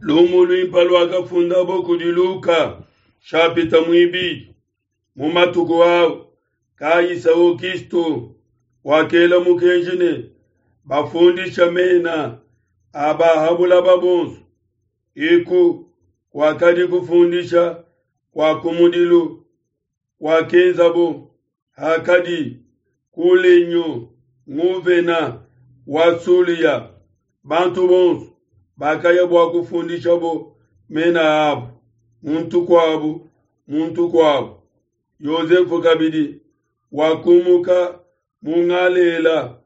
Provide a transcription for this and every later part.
Lumu luimpe luakafundabo kudi Luka, shapita muibidi. Mu matuku au, Kaisa Augusto wakela mukenji ne bafundisha mena a ba ha bulaba bonso. Eku kuakadi kufundisha kua kumudilu kuakenzabo hakadi Kulinio nguvena wa Sulia. Bantu bonso bakaya bua kufundishabo mena abo, muntu kuabu muntu kuabu. Yosefe kabidi wakumuka mu Ngalela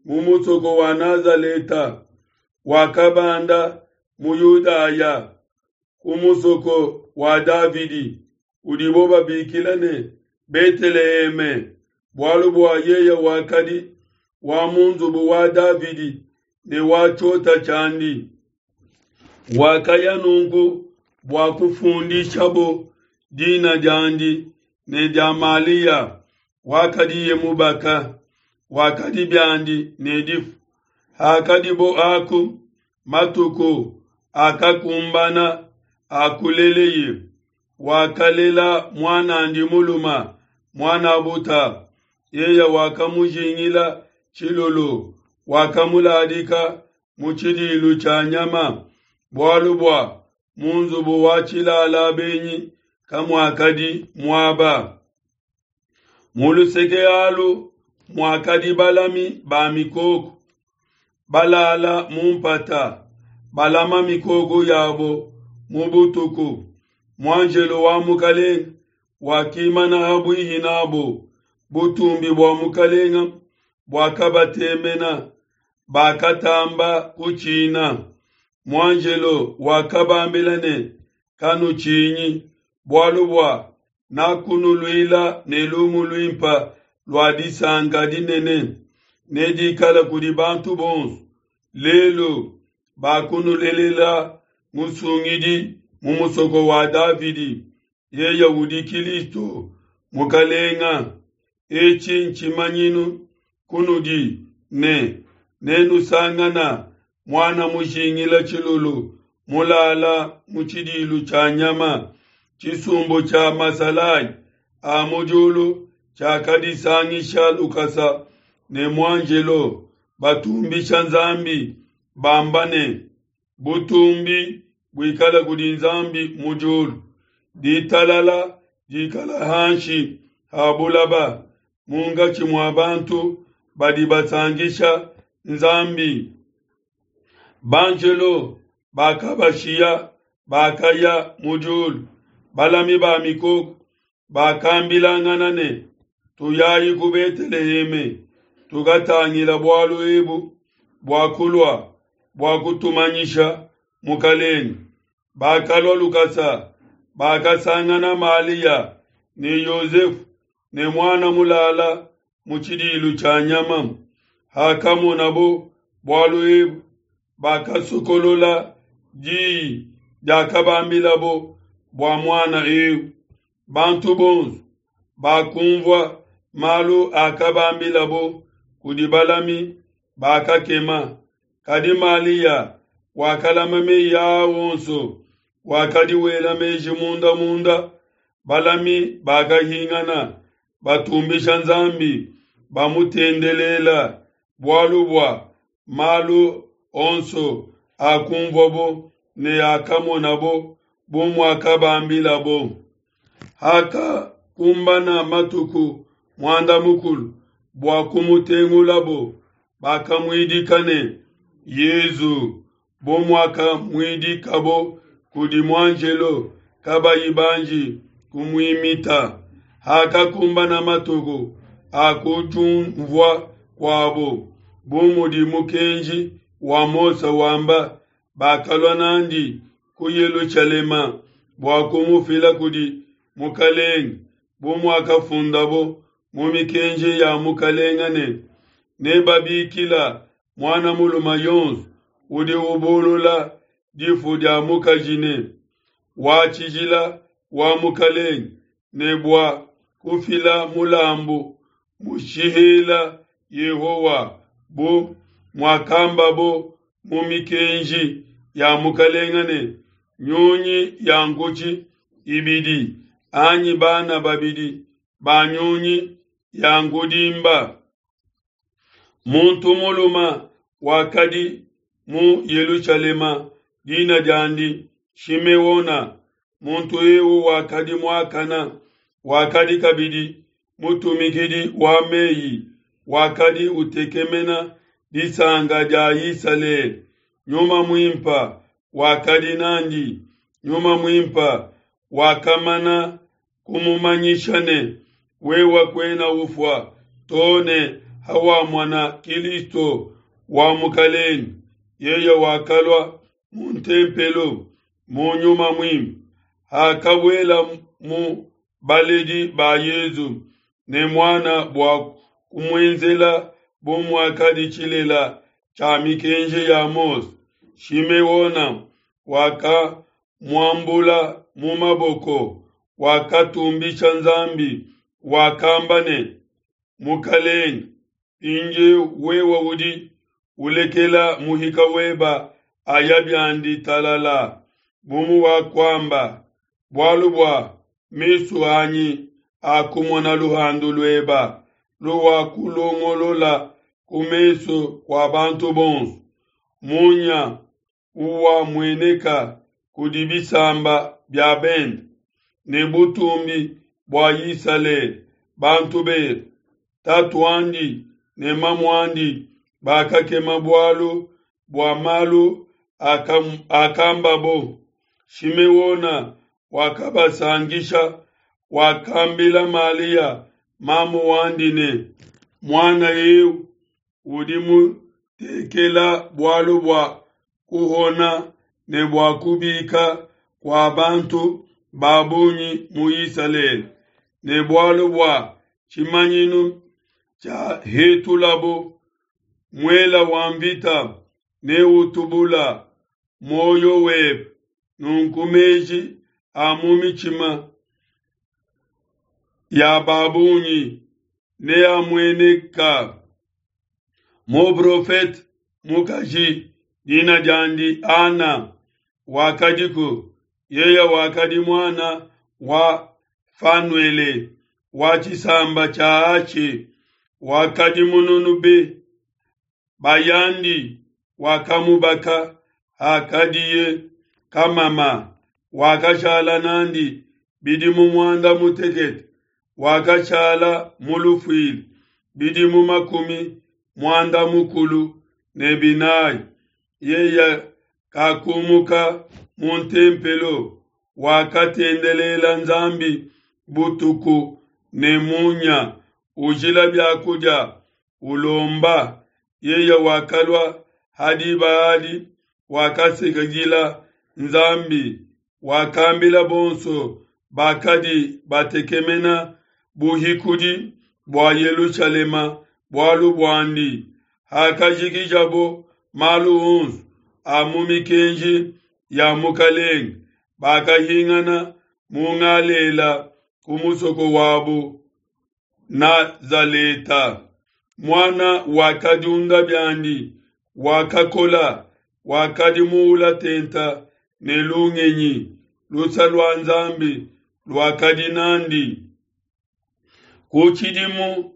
mu musoko wa Nazaleta, wakabanda mu Yudaya ku musoko wa Davidi, udibo babikila ne Beteleheme, bualu bua yeye wakadi wa mu nzubu wa Davidi ne wa tshiota tshiandi. Wakaya nunku bua kufundishabo dina diandi ne dia Malia wakadiye mubaka, wakadi biandi ne difu. Hakadibo aku, matuku akakumbana a kuleleye, wakalela muan'andi mulume, muan'a buta. Yeye wakamujingila tshilulu, wakamuladika mu tshidilu tshia nyama, bualu bua mu nzubu wa tshilala benyi kamuakadi muaba. Mu luseke alu muakadi balami ba mikoko, balala mu mpata, balama mikoko yabo mu butuku. Muanjelo wa Mukalenga wakimana ha buihi nabo, butumbi bua Mukalenga buakabatemena, bakatamba kutshina. Muanjelo wakabambila ne, Kanutshinyi, bualu bua nakunuluila ne lumu luimpe lua disanka dinene, nedikale kudi bantu bonso. Lelu bakunulelela Musungidi mu musoko wa Davidi, yeye udi Kilisto Mukalenga. Etshi ntshimanyinu kunudi ne, nenusangana muana mujingila tshilulu mulala mu tshidilu tshia nyama. Tshisumbu tshia masalayi a mu diulu tshiakadisangisha lukasa ne muanjelo, batumbisha Nzambi bamba ne, Butumbi buikale kudi Nzambi mu diulu, ditalala dikala hanshi ha bulaba munkatshi mua bantu badi basankisha Nzambi. Banjelo bakabashiya, bakaya mu diulu. Balami ba mikoko bakambilangana ne, Tuyayi ku Beteleheme, tukatangila bualu ebu buakulua bua kutumanyisha Mukalenge. Bakalua lukasa, bakasangana Malia ne Yosefu ne muana mulala mu tshidilu tshia nyama. Hakamonabo bualu ebu, bakasokolola diyi diakabambilabo bua muana eu. Bantu bonso bakumvua malu akabambilabo kudi balami bakakema. Kadi Malia wakalama meyi aa onso, wakadi wela meji munda munda. Balami bakahingana, batumbisha Nzambi, bamutendelela, bualu bua malu onso akumvuabo ne akamonabo bu muakabambilabo. Hakakumbana matuku muanda mukulu bua kumutengulabo, bakamuidika ne, Yezu, bu muakamuidikabo kudi muanjelo kabayi banji kumuimita. Hakakumbana matuku a kudiumvua kuabo, bu mudi mukenji wa Mose wamba, bakalua n'andi ku Yelushalema bua kumufila kudi Mukalenge, bu muakafundabo mu mikenji ya Mukalenge ne, Nebabikila muana mulume yonso udi ubulula difu dia mukaji ne, Wa tshijila wa Mukalenge, ne bua kufila mulambu mushihela Yehowa, bu muakambabo mu mikenji. ya mukalenga ne nyunyi ya nkutshi ibidi anyi bana babidi ba nyunyi ya nkudimba. Muntu mulume wakadi mu Yelushalema, dina diandi Shimeona. Muntu eu wakadi muakana, wakadi kabidi mutumikidi wa meyi, wakadi utekemena disanka dia Isalele. Nyuma Muimpe wakadi nandi. Nyuma Muimpe wakamana kumumanyisha ne, wewe kuena ufua to ne hawamona Kilisto wa Mukalenge. Yeye wakalua mu ntempelo mu Nyuma Muimpe. Hakabuela mu baledi ba Yezu ne muana bua kumuenzela bu muakadi tshilela tshia mikenji ya Mose, Shimeona wakamuambula mu maboko, wakatumbisha Nzambi, wakamba ne, Mukalenge, mpindieu wewe udi ulekela muhika weba aya biandi talala, bu muwakuamba, bualu bua mesu anyi akumona luhandu lueba luwakulongolola ku mesu kua bantu bonso, munya uwamueneka kudi bisamba bia bende, ne butumbi bua Isalele bantu bebe. Tatuandi ne mamuandi bakakema bualu bua malu akambabo. Shimeona wakabasangisha, wakambila Malia mamu wandi ne, muana eu udi mutekela bualu bua kuhona ne bua kubika kua bantu ba bungi mu Isalele, ne bualu bua tshimanyinu tshia hetulabo muela wa mvita ne utubula muoyo webe. Nunku meji a mu mitshima ya ba bungi neamueneka. Muprofete mukaji dina diandi Ana wakadiku, yeye wakadi muana wa Fanuele wa tshisamba tshia Ashe, wakadi mununu be. Bayandi wakamubaka hakadiye kamama, wakashala nandi bidimu muanda mutekete, wakashala mu lufuila bidimu makumi muanda mukulu ne binayi. Yeye kakumuka mu ntempelo, wakatendelela Nzambi butuku ne munya, ujila biakudia, ulomba. Yeye wakalua ha diba adi, wakasekegila Nzambi, wakambila bonso bakadi batekemena buhikudi bua Yelushalema bualu buandi. Hakajikijabo malu onso a mu mikenji ya Mukalenge, bakahingana mu Galela ku musoko wabo Nazaleta. Muana wakadiunda biandi, wakakola, wakadi muula tenta ne lungenyi, lusa lua Nzambi luakadi nandi. Ku tshidimu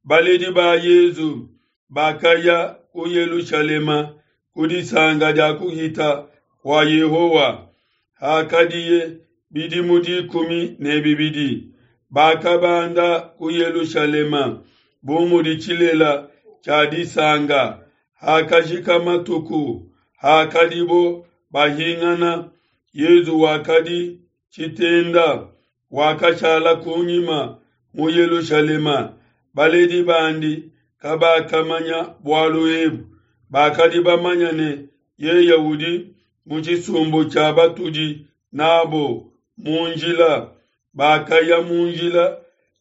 baledi ba Yezu bakaya ku Yelushalema ku disanka dia kuhita kua Yehowa. Hakadiye bidimu 12, bakabanda ku Yelushalema bu mudi tshilela tshia disanka. Hakajika matuku, hakadibo bahingana, Yezu wakadi tshitenda, wakashala kunyima mu Yelushalema. Baledi bandi kabakamanya bualu ebu, bakadi bamanya ne yeye udi mu tshisumbu tshia batudi nabo mu njila. Bakaya mu njila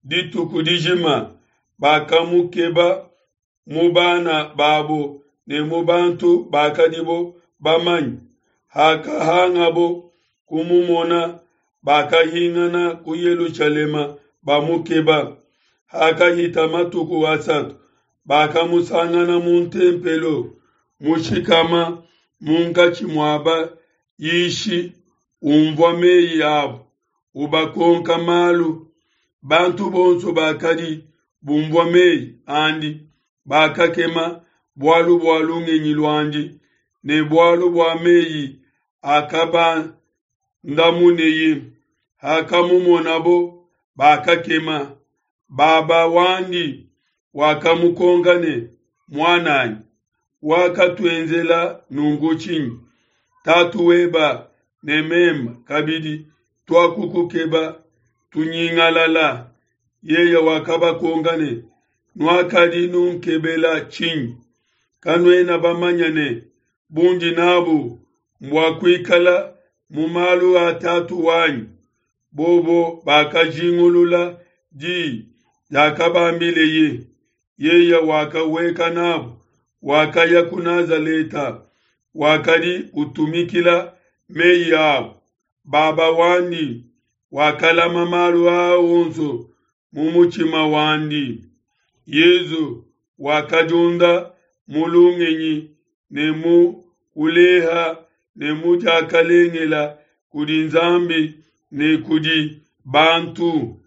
dituku dijima, bakamukeba mu bana babo ne mu bantu bakadibo bamanye. Hakahangabo kumumona, bakahingana ku Yelushalema bamukeba. Hakahita matuku asatu, bakamusangana mu ntempelo, mushikama munkatshi mua bayishi, unvua meyi abo, ubakonka malu. Bantu bonso bakadi bumvua meyi andi bakakema bualu bua lungenyi luandi ne bualu bua meyi akabandamuneye. Hakamumonabo, bakakema. Baba wandi wakamukonka ne, Muan'anyi, wakatuenzela nunku tshinyi? Tatu weba ne meme kabidi tuakukukeba tunyingalala. Yeye wakabakonka ne, Nuakadi nunkebela tshinyi? Kanuena bamanye ne, Bundi nabu mbua kuikala mu malu a Tatu wanyi? Bobo bakajingulula di diakabambileye. Yeye wakahueka nabo, wakaya ku Nazaleta, wakadi utumikila meyi abo. Baba wandi wakalama malu aa onso mu mutshima wandi. Yezu wakadiunda mu lungenyi ne mu kuleha ne mu diakalengela kudi Nzambi ne kudi bantu.